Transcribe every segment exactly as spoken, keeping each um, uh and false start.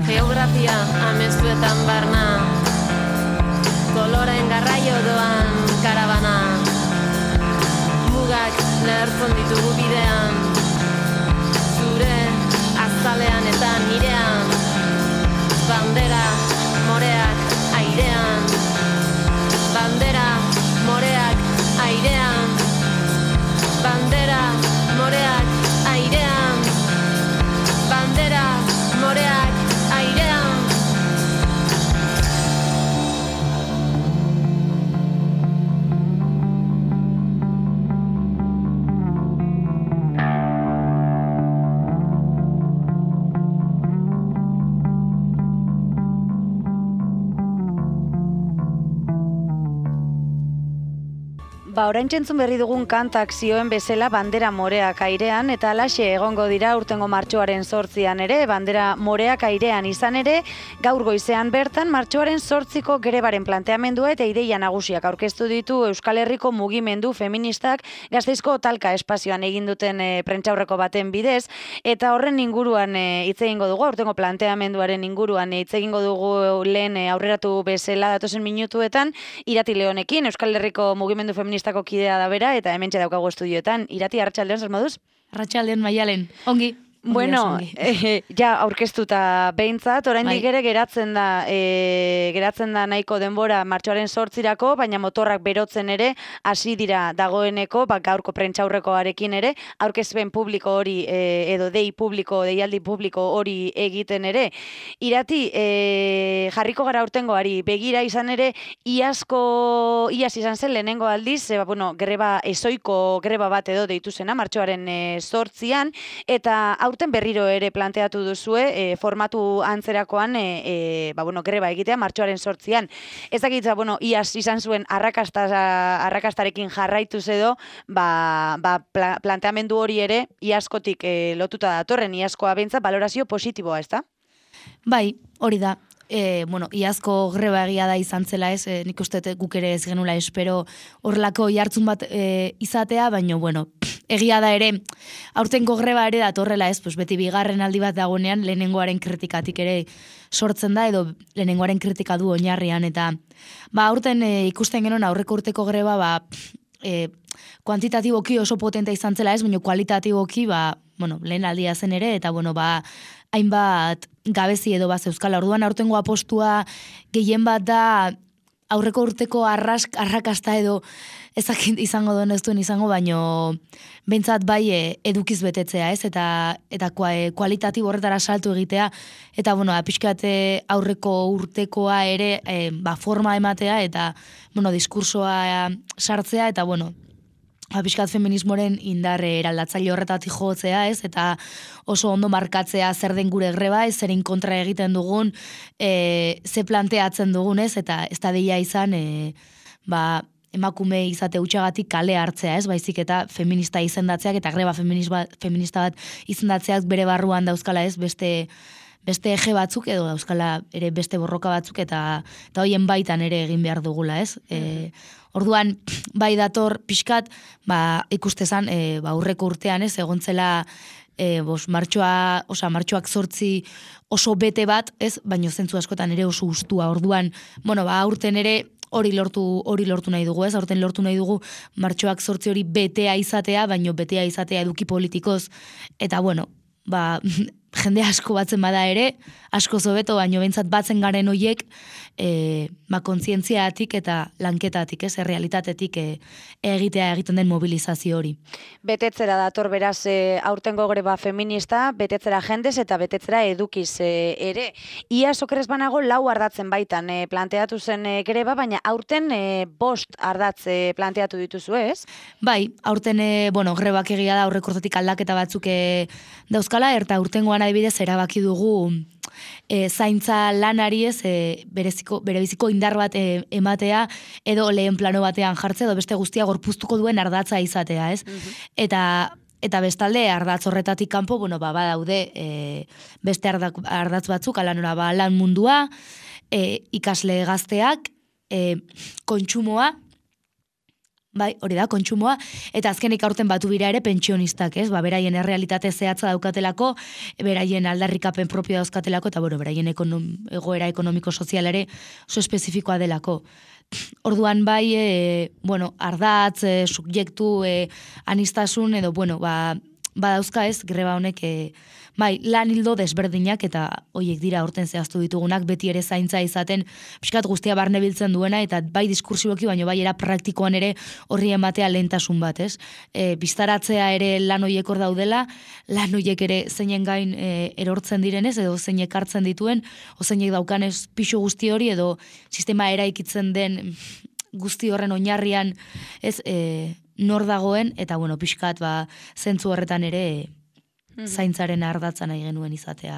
Geografia amestuetan barna, koloren garraio doan karabana, mugak lehertzen ditugu bidean, zure azalean eta nirean, bandera moreak airean, bandera moreak airean, bandera moreak airean, bandera moreak airean. Ba, orain txentzun berri dugun kantak zioen bezala bandera moreak airean, eta alaxe egongo dira urtengo martxoaren zortzian ere, bandera moreak airean izan ere, gaur goizean bertan martxoaren zortziko grebaren planteamendua eta ideia nagusiak aurkeztu ditu Euskal Herriko mugimendu feministak Gasteizko talka espazioan egin duten e, prentsaurreko baten bidez, eta horren inguruan hitz e, egingo dugu, urtengo planteamenduaren inguruan hitz e, egingo dugu lehen e, aurreratu bezala datozen minutuetan, Irati Leonekin, Euskal Herriko mugimendu feministak kidea da bera, eta hementxe daukagu estudioetan. Irati, arratsaldeon, zer moduz? Arratsaldeon, Maialen. Ongi. Bueno, eh, ja aurkeztuta behintzat, oraindik ere geratzen da e, geratzen da nahiko denbora martxoaren zortzirako, baina motorrak berotzen ere hasi dira dagoeneko, ba, gaurko prentsaurrekoarekin ere, aurkezpen publiko hori e, edo dei publiko, deialdi publiko hori egiten ere. Irati, e, jarriko gara urtengoari begira izan ere, iazko, iaz izan zen lehenengo aldiz, e, ba, bueno, greba, ezoiko greba bat edo deitu zena, martxoaren e, zortzian, eta aurten berriro ere planteatu duzue, e, formatu antzerakoan e, e, ba, bueno, greba egitea martxoaren sortzian. Ez dakitza, bueno, iaz izan zuen arrakasta, arrakastarekin jarraituz edo, ba, ba, pla, planteamendu hori ere iazkotik e, lotuta datorren, iazkoa bentza balorazio positiboa, ez da? Bai, hori da. E, bueno, iazko greba egia da izan zela ez, e, nik uste guk ere ez genula espero horrelako jartzun bat e, izatea, baina, bueno, egia da ere, aurtengo greba ere datorrela ez, pues beti bigarren aldi bat dagonean lehenengoaren kritikatik ere sortzen da, edo lehenengoaren kritika du oinarrian, eta ba, aurten e, ikusten genuen aurreko urteko greba, ba, e, kuantitatiboki oso potente izan zela ez, baina kualitatiboki, ba, bueno, lehen aldia zen ere, eta bueno, ba, hainbat gabezi edo bat euskala. Orduan aurtengo apostua gehien bat da aurreko urteko arrask, arrakasta edo ezakit izango duen ez duen izango, baino behintzat bai e, edukiz betetzea, ez? Eta, eta kualitatibo horretara saltu egitea, eta bueno, pixkat aurreko urtekoa ere e, ba, forma ematea, eta bueno, diskursoa sartzea, eta bueno, Apiskat feminismoren indarre eraldatzaile horretatik jotzea, ez? Eta oso ondo markatzea zer den gure greba, ez zerin kontra egiten dugun, e, ze planteatzen dugun, ez? Eta ez da deia izan, e, ba, emakume izate utxagatik kale hartzea, ez? Baizik eta feminista izendatzeak eta greba feminista bat izendatzeak bere barruan dauzkala, ez? Beste beste eje batzuk edo dauzkala ere beste borroka batzuk eta eta hoien baitan ere egin behar dugula, ez? E, orduan, bai dator pixkat, ba, ikustezan, e, ba, aurreko urtean, ez? Egontzela e, bos, martxoa, osa, martxoak zortzi oso bete bat, ez? Baino zentzu askotan ere oso ustua. Orduan, bueno, ba, aurten ere hori lortu hori lortu nahi dugu, ez? Aurten lortu nahi dugu martxoak zortzi hori betea izatea, baino betea izatea eduki politikoz, eta bueno, ba, jende asko batzen bada ere, asko zobeto, baino bentsat batzen garen hoiek, e, ba, kontzientziatik eta lanketatik, ez, errealitatetik e, egitea egiten den mobilizazio hori. Betetzera dator beraz e, aurtengo greba feminista, betetzera jendez eta betetzera edukiz e, ere. Ia sokerez banago lau ardatzen baitan e, planteatu zen e, greba, baina aurten e, bost ardatz e, planteatu dituzu, ez? Bai, aurten, e, bueno, grebak egia da aurrekortatik aldaketa batzuk e, dauzkala, eta aurtengoan adibidez erabaki dugu e, zaintza lanari ez e, bereziko, berebiziko indar bat e, ematea edo lehen plano batean jartzea edo beste guztia gorpuztuko duen ardatza izatea, ez? Mm-hmm. Eta eta bestalde ardatz horretatik kanpo, bueno, ba, badaude e, beste ardatz batzuk, ala nora, ba, lan mundua, e, ikasle gazteak, e, kontsumoa, Bai, hori da, kontsumoa, eta azkenik aurten batu bira ere pentsionistak, ez? Ba, beraien errealitate zehatza daukatelako, beraien aldarrikapen propio dauzkatelako, eta bueno, beraien ekonom, egoera ekonomiko-sozial ere oso espezifikoa delako. Orduan bai, e, bueno, ardatz, e, subjektu, e, anistasun, edo, bueno, ba, badauzka ez, greba honek, e, bai, lan hildo desberdinak, eta hoiek dira aurten zehaztu ditugunak, beti ere zaintza izaten, pixkat guztia barne biltzen duena, eta bai diskursiboki, baino bai era praktikoan ere horri ematea lehentasun bat, ez? E, biztaratzea ere lan hoiek hor daudela, lan hoiek ere zeinen gain e, erortzen direnez, edo zeinek hartzen dituen, o zeinek daukanez pixu guzti hori, edo sistema eraikitzen den guzti horren oinarrian, ez, e, nor dagoen, eta bueno, pixkat, ba, zentzu horretan ere, zaintzaren ardatza nahi genuen izatea.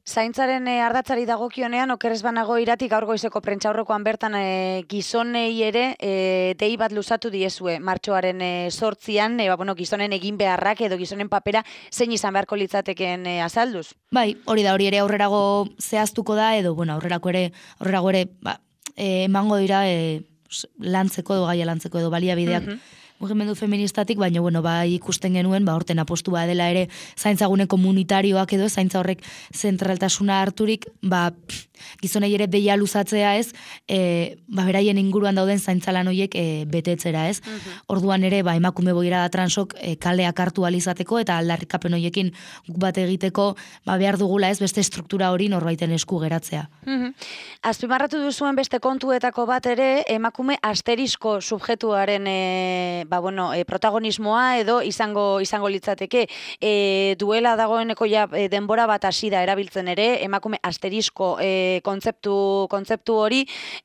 Zaintzaren e, ardatzari dagokionean, okerrez banago iratik gaur goizeko prentsaurrekoan bertan e, gizonei ere e, dei bat luzatu diezue. Martxoaren e, sortzian, e, ba, bueno, gizonen egin beharrak edo gizonen papera zein izan beharko litzateken e, azalduz? Bai, hori da, hori ere aurrerago zehaztuko da, edo, bueno, aurrerako ere, aurrerago ere, ba, e, emango dira, e, lantzeko edo gaia lantzeko edo baliabideak, uh-huh. mugimendu feministatik, baina bueno, ba, ikusten genuen, ba, horten apostua dela ere zaintzagune komunitarioak edo, zaintza horrek zentraltasuna harturik, ba, gizonei ere deia luzatzea ez, e, ba, beraien inguruan dauden zaintzalan horiek e, betetzera ez. Uh-huh. Orduan ere, ba, emakume boira da transok e, kaleak hartu alizateko eta aldarrikapen horiekin guk bat egiteko, ba, behar dugula ez, beste struktura hori norbaiten esku geratzea. Uh-huh. Azpimarratu duzuen beste kontuetako bat ere, emakume asterisko subjektuaren e, ba, bueno, e, protagonismoa edo izango izango litzateke e, duela dagoeneko ja e, denbora bat hasi da erabiltzen ere, emakume asterisko e, kontzeptu kontzeptu hori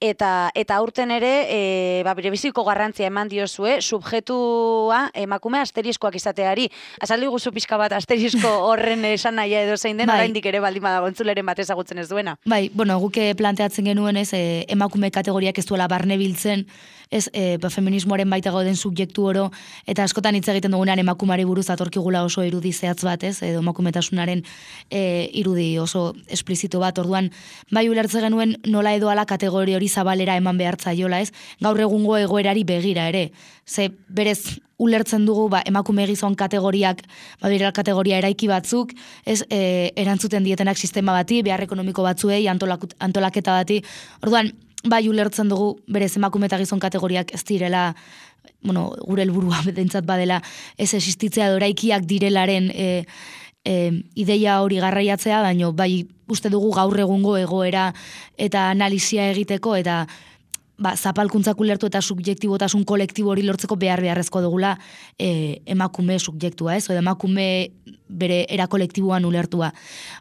eta eta aurten ere e, ba berebiziko garrantzia eman diozue subjektua emakume asteriskoak izateari. Azaldu guzu pixka bat asterisko horren esanahia edo zein den, bai. Oraindik ere baldin badago entzuleren bat ezagutzen ez duena. Bai, bueno, guk planteatzen genuen ez e, emakume kategoriak ez duela barne biltzen, ez e, ba, feminismoaren baita gauden subjektu oro, eta askotan hitz egiten dugunean emakumari buruz atorkigula oso irudi zehatz bat, ez, edo emakumetasunaren e, irudi oso esplizito bat, orduan bai ulertze genuen nola edo ala kategori hori zabalera eman behar zaiola, ez? Gaur egungo egoerari begira ere. Ze berez ulertzen dugu ba, emakume gizon kategoriak, ba, bera kategoria eraiki batzuk, ez e, erantzuten dietenak sistema bati, behar ekonomiko batzuei, antolak, antolaketa bati. Orduan, bai ulertzen dugu berez emakume eta gizon kategoriak ez direla, bueno, gure helburua bedentzat badela, ez existitzea doraikiak direlaren e, e, ideia hori garraiatzea, baino bai uste dugu gaur egungo egoera eta analizia egiteko eta ba, zapalkuntzak ulertu eta subjektibotasun kolektibo hori lortzeko behar beharrezko dugula e, emakume subjektua, ez? O emakume bere era kolektiboan ulertua.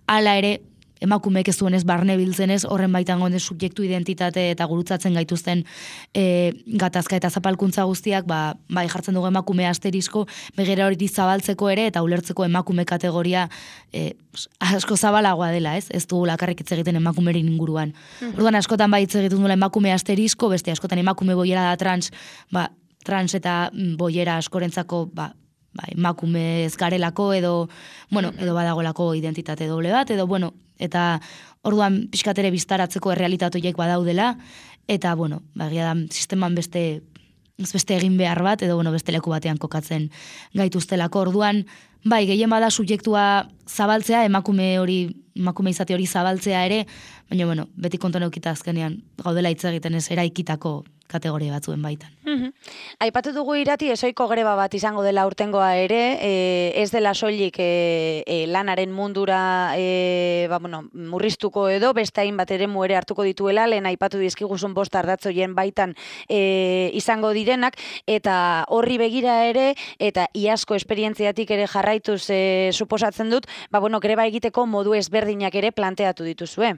Hala ere, emakumeek ez duenez barne biltzenez, horren baitan gonde subjektu identitate eta gurutzatzen gaituzten e, gatazka eta zapalkuntza guztiak, ba, bai jartzen dugu emakume asterisko, begera hori zabaltzeko ere, eta ulertzeko emakume kategoria e, asko zabalagoa dela, ez? Ez dugu lakarrik hitz egiten emakumerin inguruan. Mm-hmm. Orduan askotan bai hitz egiten duela emakume asterisko, beste askotan emakume boiera da trans, ba, trans eta boiera askorentzako, ba, ba, emakume ez garelako edo, bueno, edo badagolako identitate doble bat, edo, bueno, eta orduan pixkatere biztaratzeko errealitatoiek badaudela, eta, bueno, bagia da, sisteman beste, beste egin behar bat, edo, bueno, beste leku batean kokatzen gaituztelako. Orduan, bai, gehien bada subjektua zabaltzea, emakume hori, emakume izate hori zabaltzea ere, baina, bueno, beti konton eukita azkenean, gaudela hitz egiten ez eraikitako kategoria batzuen baitan. Mm-hmm. Aipatu dugu irati ezoiko greba bat izango dela urtengoa ere, e, ez dela soilik e, e, lanaren mundura e, ba, bueno, murriztuko edo, beste hainbat ere muere hartuko dituela, lehen aipatu dizkiguzun bost ardatzoien baitan e, izango direnak, eta horri begira ere, eta iazko esperientziatik ere jarraituz e, suposatzen dut, ba, bueno, greba egiteko modu ezberdinak ere planteatu dituzue.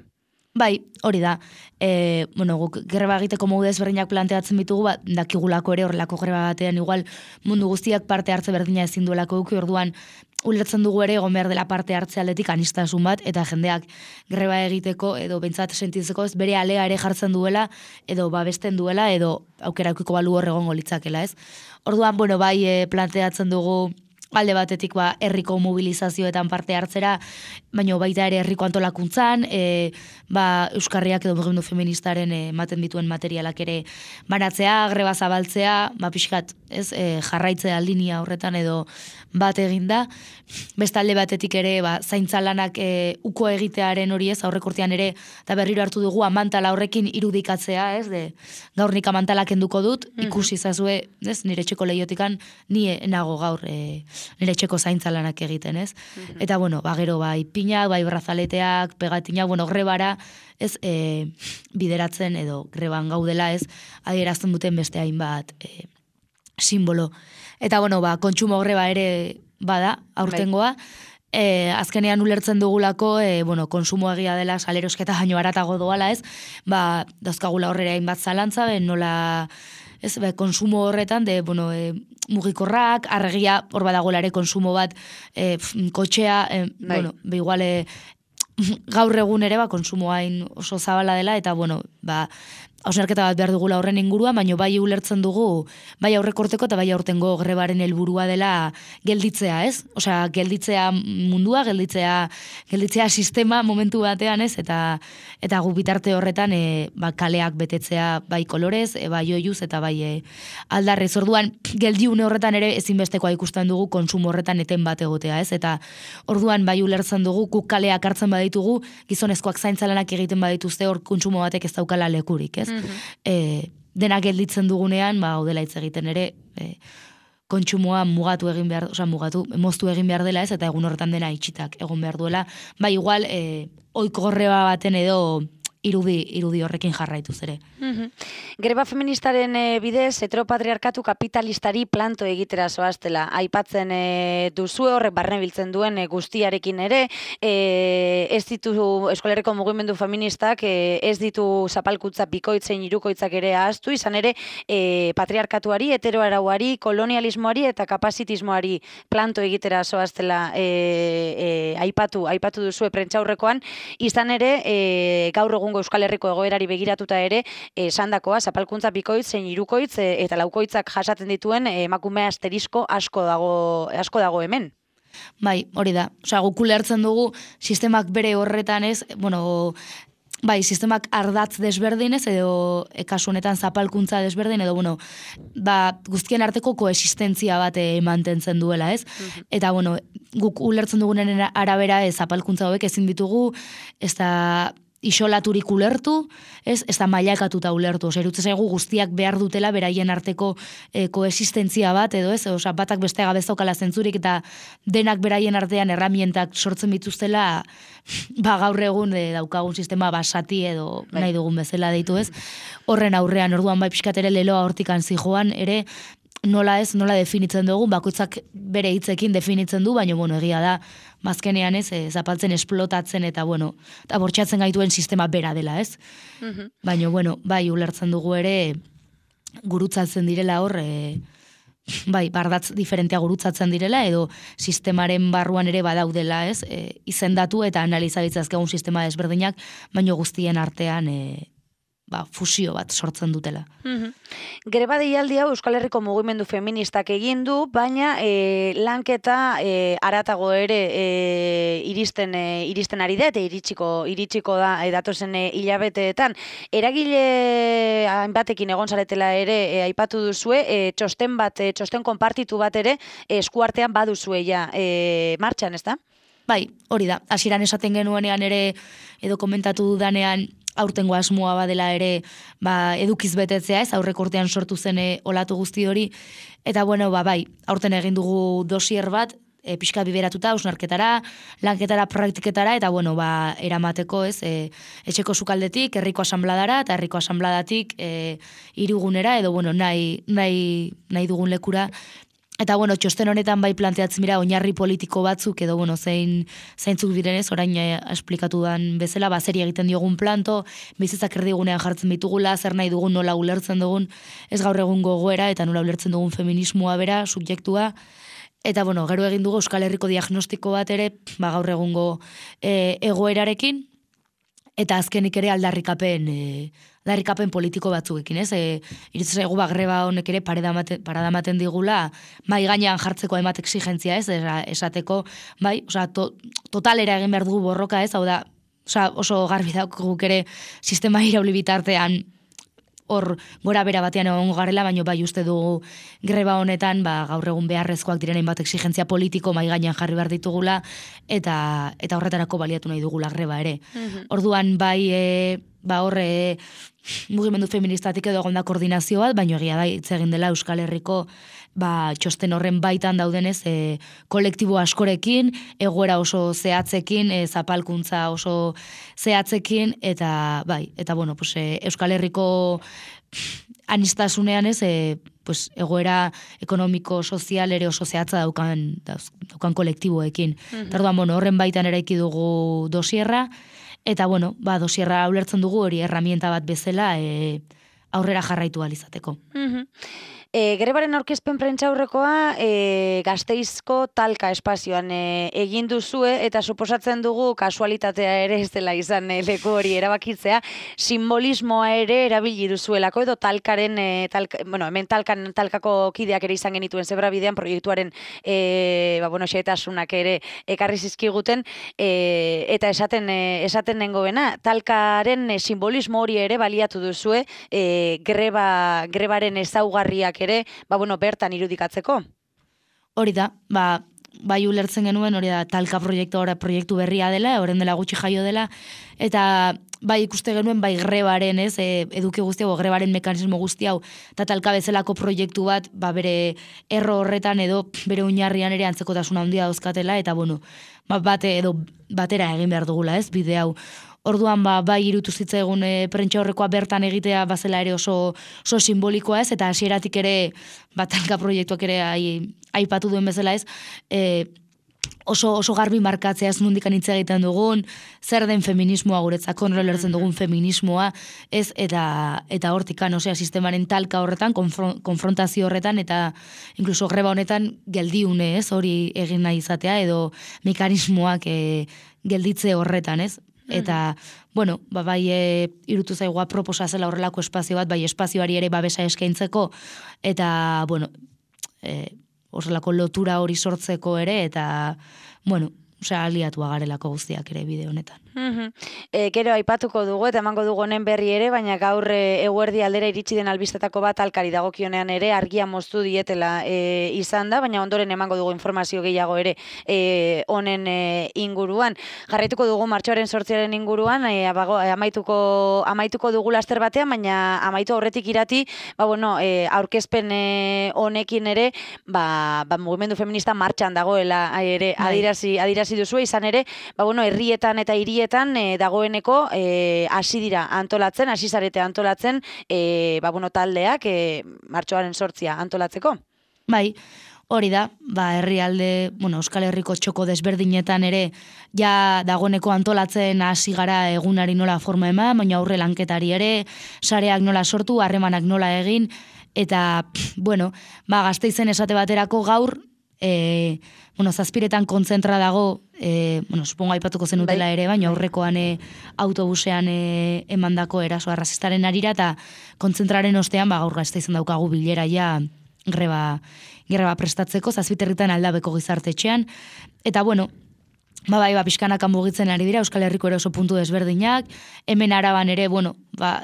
Bai, hori da. E, bueno, guk greba egiteko modu ezberdinak planteatzen bitugu, ba, dakigulako ere horrelako greba batean igual mundu guztiak parte hartze berdina ezin duelako duki, orduan ulertzen dugu ere egon behar dela parte hartze aldetik anistasun bat, eta jendeak greba egiteko edo bentsat sentitzeko ez bere alea ere jartzen duela, edo babesten duela, edo aukera aukiko balu hor egongo litzakela, ez? Orduan, bueno, bai e, planteatzen dugu alde batetik ba, herriko mobilizazioetan parte hartzera, baina baita ere herriko antolakuntzan, e, ba, Euskarriak edo mugimendu feministaren ematen dituen materialak ere banatzea, greba zabaltzea, ba, pixkat, ez, e, jarraitzea linia horretan edo bat eginda. Beste alde batetik ere, ba, zaintza lanak e, uko egitearen hori ez, aurrekortean ere, eta berriro hartu dugu amantala horrekin irudikatzea, ez, de, gaur nik amantalak enduko dut, ikusi zazue, ez, nire txeko lehiotikan, ni nago gaur, e, nire txeko zaintza lanak egiten, ez? Mm-hmm. Eta, bueno, ba, gero, bai, pinak, bai, brazaleteak, pegatinak, bueno, grebara, ez, e, bideratzen edo greban gaudela, ez, adierazten duten beste hainbat e, simbolo. Eta, bueno, ba, kontsumo greba ere bada, aurtengoa, E, azkenean ulertzen dugulako, e, bueno, konsumo egia dela, salerosketa baino haratago doala, ez, ba, dauzkagula horrera hainbat zalantza, ben nola, ez, be, konsumo horretan, de, bueno, e, mugikorrak, arregia, hor badagoela ere konsumo bat, e, pf, kotxea, e, bueno, be, igual, e, gaur egun ere, ba, konsumo hain oso zabala dela, eta, bueno, ba, hausnarketa bat behar dugula horren ingurua, baina bai ulertzen dugu, bai aurrekorteko eta bai aurtengo grebaren helburua dela gelditzea, ez? Osea, gelditzea mundua, gelditzea, gelditzea sistema momentu batean, ez? Eta eta gu bitarte horretan e, ba, kaleak betetzea bai kolorez, e, bai oiuz eta bai e, aldarrez. Orduan, geldiune horretan ere ezinbestekoa ikusten dugu konsumo horretan eten bat egotea, ez? Eta orduan bai ulertzen dugu, guk kaleak hartzen baditugu, gizonezkoak zaintzalanak egiten badituzte hor kontsumo batek ez daukala lekurik, ez? Mm-hmm. E, denak gelditzen dugunean, ba, odela hitz egiten ere, e, kontsumoa mugatu egin behar, oza, mugatu, moztu egin behar dela ez, eta egun horretan dena itxitak egon behar duela. Ba, igual, e, oiko gorreba baten edo irudi, irudi horrekin jarraituz ere. Mm-hmm. Greba feministaren e, bidez, heteropatriarkatu kapitalistari planto egitera zoaztela. Aipatzen e, duzu horrek barne biltzen duen e, guztiarekin ere, e, ez ditu Eskolerriko mugimendu feministak, e, ez ditu zapalkutza bikoitzen hirukoitzak ere ahaztu, izan ere e, patriarkatuari, heteroarauari, kolonialismoari eta kapazitismoari planto egitera zoaztela e, e, aipatu, aipatu duzu prentsaurrekoan, izan ere e, gaur egun Euskal Herriko egoerari begiratuta ere, esandakoa, zapalkuntza bikoitz, zein hirukoitz eta laukoitzak jasaten dituen emakume asterisko asko dago, asko dago hemen. Bai, hori da. Osea, guk ulertzen dugu sistemak bere horretan ez, bueno, bai, sistemak ardatz desberdinez edo e, kasu honetan zapalkuntza desberdin edo bueno, ba, guztien arteko koexistentzia bat e, mantentzen duela, ez? Mm-hmm. Eta bueno, guk ulertzen dugunen arabera ez zapalkuntza hauek ezin ditugu, ez da isolaturik ulertu, ez, ez da mailakatuta ulertu. Osa, irutzen zaigu guztiak behar dutela beraien arteko e, koexistentzia bat, edo ez, osa, batak beste gabezaukala zentzurik eta denak beraien artean erramientak sortzen bituztela, ba gaur egun e, daukagun sistema basati edo bai, nahi dugun bezala deitu ez. Horren aurrean, orduan bai pixkat ere leloa hortikan zijoan, ere nola ez, nola definitzen dugu, bakoitzak bere hitzekin definitzen du, baina, bueno, egia da, mazkenean ez, e, zapaltzen esplotatzen eta, bueno, eta bortxatzen gaituen sistema bera dela, ez? Mm-hmm. Baina, bueno, bai, ulertzen dugu ere, gurutzatzen direla hor, e, bai, bardatz diferentea gurutzatzen direla, edo sistemaren barruan ere badaudela, ez? E, izendatu eta analizabitzazkegun sistema desberdinak, baina guztien artean, e, ba, fusio bat sortzen dutela. Mm-hmm. Greba deialdi hau Euskal Herriko mugimendu feministak egin du, baina e, lanketa e, aratago ere e, iristen e, iristen ari da eta iritsiko iritsiko da e, datozen e, hilabeteetan. Eragile hainbatekin egon zaretela ere e, aipatu duzue, e, txosten bat, e, txosten konpartitu bat ere e, eskuartean baduzue ja e, martxan, ezta? Bai, hori da. Hasieran esaten genuenean ere edo komentatu dudanean aurtengo asmoa badela ere ba, edukiz betetzea, ez aurreko urtean sortu zen olatu guzti hori, eta bueno, ba, bai, aurten egin dugu dosier bat, e, pixka biberatuta, ausnarketara, lanketara, praktiketara, eta bueno, ba, eramateko, ez, e, etxeko sukaldetik, herriko asanbladara, eta herriko asanbladatik e, hirugunera, edo bueno, nahi, nahi, nahi dugun lekura. Eta, bueno, txosten honetan bai planteatzen dira oinarri politiko batzuk, edo, bueno, zein, zeintzuk direnez, orain eh, esplikatu dan bezala, ba, zeri egiten diogun planto, bizitzak erdigunean jartzen bitugula, zer nahi dugun, nola ulertzen dugun, ez gaur egun gogoera, eta nola ulertzen dugun feminismoa bera, subjektua, eta, bueno, gero egin dugu Euskal Herriko diagnostiko bat ere, ba, gaur egungo e, egoerarekin, eta azkenik ere aldarrikapen e, aldarrikapen politiko batzuekin, ez? E, Iritz zaigu ba greba honek ere paradamaten digula mai gainean jartzeko hainbat exigentzia, ez? Esateko, bai, osea, to, totalera egin behar dugu borroka, ez? Hau da, osea, oso garbi daukaguk ere sistema irauli bitartean hor gora bera batean egongo garela, baino bai uste dugu greba honetan ba, gaur egun beharrezkoak diren hainbat exigentzia politiko mai gainean jarri behar ditugula eta eta horretarako baliatu nahi dugula greba ere. Mm-hmm. Orduan bai e, ba horre mugimendu feministatik edo egon da koordinazio bat, baino egia da hitz egin dela Euskal Herriko ba, txosten horren baitan daudenez e, kolektibo askorekin, egoera oso zehatzekin, e, zapalkuntza oso zehatzekin, eta bai, eta bueno, pues, e, Euskal Herriko anistasunean ez, e, pues, egoera ekonomiko, sozial ere oso zehatza daukan, daukan kolektiboekin. Mm-hmm. Tarduan, bueno, horren baitan eraiki dugu dosierra, eta bueno, ba, dosierra ulertzen dugu hori herramienta bat bezala e, aurrera jarraitu ahal izateko. Mm-hmm. E, Grebaren aurkezpen prentsaurrekoa e, Gasteizko talka espazioan e, egin duzue eta suposatzen dugu kasualitatea ere ez dela izan e, leku hori erabakitzea, simbolismoa ere erabili duzuelako edo talkaren, e, talka, bueno, hemen talkan, talkako kideak ere izan genituen zebra bidean proiektuaren e, ba, bueno, xehetasunak ere ekarri zizkiguten e, eta esaten, e, esaten nengoena, talkaren e, simbolismo hori ere baliatu duzue e, greba, grebaren ezaugarriak ere, ba, bueno, bertan irudikatzeko. Hori da, ba, bai ulertzen genuen, hori da, talka proiektu, ora, proiektu berria dela, horren dela gutxi jaio dela, eta bai ikuste genuen, bai grebaren, ez, e, eduki guzti hau, grebaren mekanismo guzti hau, eta talka bezalako proiektu bat, ba, bere erro horretan edo bere oinarrian ere antzekotasuna handia dauzkatela, eta bueno, ba, bate edo batera egin behar dugula, ez, bide hau. Orduan ba, bai irutu zitzaigun e, prentsa horrekoa bertan egitea bazela ere oso, oso simbolikoa ez, eta hasieratik ere batalka proiektuak ere aipatu duen bezala ez, e, oso, oso garbi markatzea ez nondik hitz egiten dugun, zer den feminismoa guretzako, nola lertzen dugun feminismoa, ez, eta eta hortikan, osea, sistemaren talka horretan, konfron, konfrontazio horretan, eta inkluso greba honetan geldiune ez, hori egin nahi izatea, edo mekanismoak e, gelditze horretan ez. Eta, bueno, ba, bai e, irutu zaigua proposa zela horrelako espazio bat, bai espazioari ere babesa eskaintzeko, eta, bueno, e, horrelako lotura hori sortzeko ere, eta, bueno, osea, aliatua garelako guztiak ere bide honetan. Mm-hmm. E, gero aipatuko dugu eta emango dugu honen berri ere, baina gaur e, eguerdi aldera iritsi den albistetako bat alkari dagokionean ere argia moztu dietela e, izan da, baina ondoren emango dugu informazio gehiago ere e, honen e, inguruan. Jarraituko dugu martxoaren sortziaren inguruan, e, abago, e, amaituko, amaituko dugu laster batean, baina amaitu aurretik irati, ba, bueno, e, aurkezpen e, honekin ere, ba, ba, mugimendu feminista martxan dagoela ere adirazi, adirazi duzu, izan ere, ba, bueno, herrietan eta hirietan E, dagoeneko hasi e, dira antolatzen, hasi zarete antolatzen, e, ba, bueno, taldeak e, martxoaren sortzia antolatzeko. Bai, hori da, ba, herrialde, bueno, Euskal Herriko txoko desberdinetan ere, ja dagoeneko antolatzen hasi gara egunari nola forma eman, baina aurre lanketari ere, sareak nola sortu, harremanak nola egin, eta, bueno, ba, Gasteizen esate baterako gaur, E, bueno, zazpiretan kontzentra dago, e, bueno, supongo aipatuko zenutela bai, ere, baina aurrekoan e, autobusean e, emandako eraso arrazistaren arira, eta kontzentraren ostean, ba, gaur Gasteizen daukagu bilera ja greba, greba prestatzeko, zazpiterritan aldabeko gizartetxean, eta bueno, ba, bai, ba, pixkanakan mugitzen ari dira, Euskal Herriko ere oso puntu desberdinak, hemen Araban ere, bueno, ba,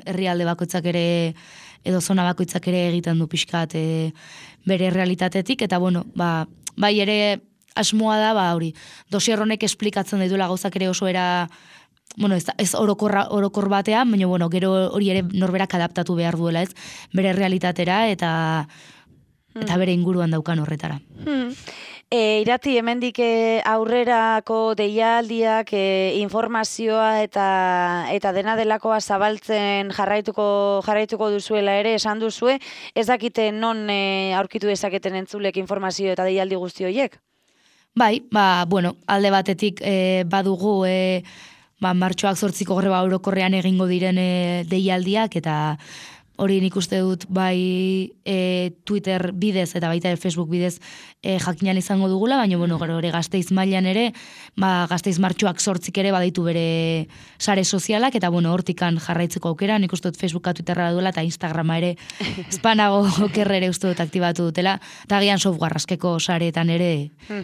herrialde bakoitzak ere, edo zona bakoitzak ere egiten du pixkat e, bere realitatetik, eta bueno, ba, bai ere asmoa da, ba, hori, dosier honek esplikatzen dituela gauzak ere oso era, bueno, ez, ez orokorra, orokor batean, baina bueno, gero hori ere norberak adaptatu behar duela, ez, bere realitatera, eta, eta bere inguruan daukan horretara. Hmm. E, irati, hemendik e, aurrerako deialdiak, e, informazioa eta eta dena delakoa zabaltzen jarraituko jarraituko duzuela ere esan duzue, ez dakite non e, aurkitu dezaketen entzulek informazio eta deialdi guzti horiek? Bai, ba, bueno, alde batetik e, badugu e, ba, martxoak zortziko greba orokorrean egingo diren e, deialdiak, eta hori nik uste dut bai e, Twitter bidez eta baita Facebook bidez e, jakinan izango dugula, baina bueno, gero ere Gasteiz mailan ere, ba, Gasteiz martxoak sortzik ere badaitu bere sare sozialak, eta bueno, hortikan jarraitzeko aukera, nik uste dut Facebooka, Twitterra duela, eta Instagrama ere, espanago okerre ere uste dut aktibatu dutela, eta gian software askeko sareetan ere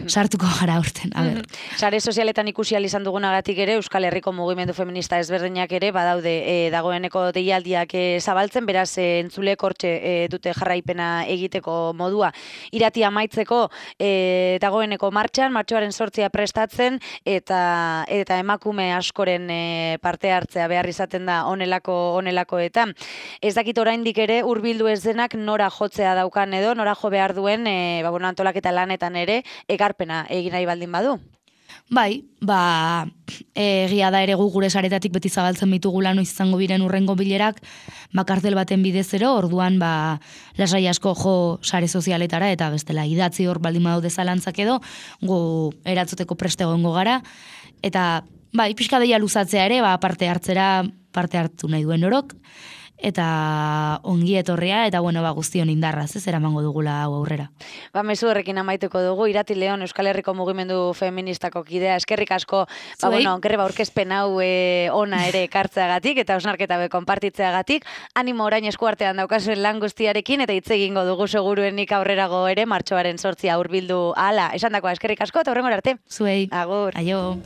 sartuko gara urten. A ber. Sare sozialetan ikusi ahal izan dugunagatik ere, Euskal Herriko mugimendu feminista ezberdinak ere, badaude e, dagoeneko deialdiak e, zabaltzen, beraz e, entzulek hortxe e, dute jarraipena egiteko modua. Irati amaitzeko e, dagoeneko martxan, martxoaren sortzia prestatzen, eta eta emakume askoren e, parte hartzea behar izaten da onelako onelakoetan. Ez dakit oraindik ere hurbildu ez denak nora jotzea daukan edo, nora jo behar duen e, ba, bueno, antolaketa lanetan ere, ekarpena egin nahi baldin badu. Bai, ba, egia da ere gu gure saretatik beti zabaltzen bitugula noiz izango biren urrengo bilerak, bakartel baten bidezero, orduan ba, lasai asko jo sare sozialetara, eta bestela idatzi hor baldin badaude zalantzak edo, gu eratzuteko preste egongo gara, eta bai, pixka deia luzatzea ere, ba, parte hartzera, parte hartu nahi duen orok, eta ongi etorria, eta bueno, ba, guztion indarraz, ez eramango dugula hau aurrera. Ba, mezu horrekin amaituko dugu, Irati Leon, Euskal Herriko mugimendu feministako kidea, eskerrik asko, ba, bueno, greba aurkezpen hau e, ona ere ekartzeagatik, eta osnarketa be konpartitzeagatik, animo orain eskuartean daukazuen lan guztiarekin, eta hitz egingo dugu seguruenik aurrerago ere, martxoaren sortzia hurbildu ala. Esan dakoa, eskerrik asko, eta horrengor arte. Zuei. Agur. Aio.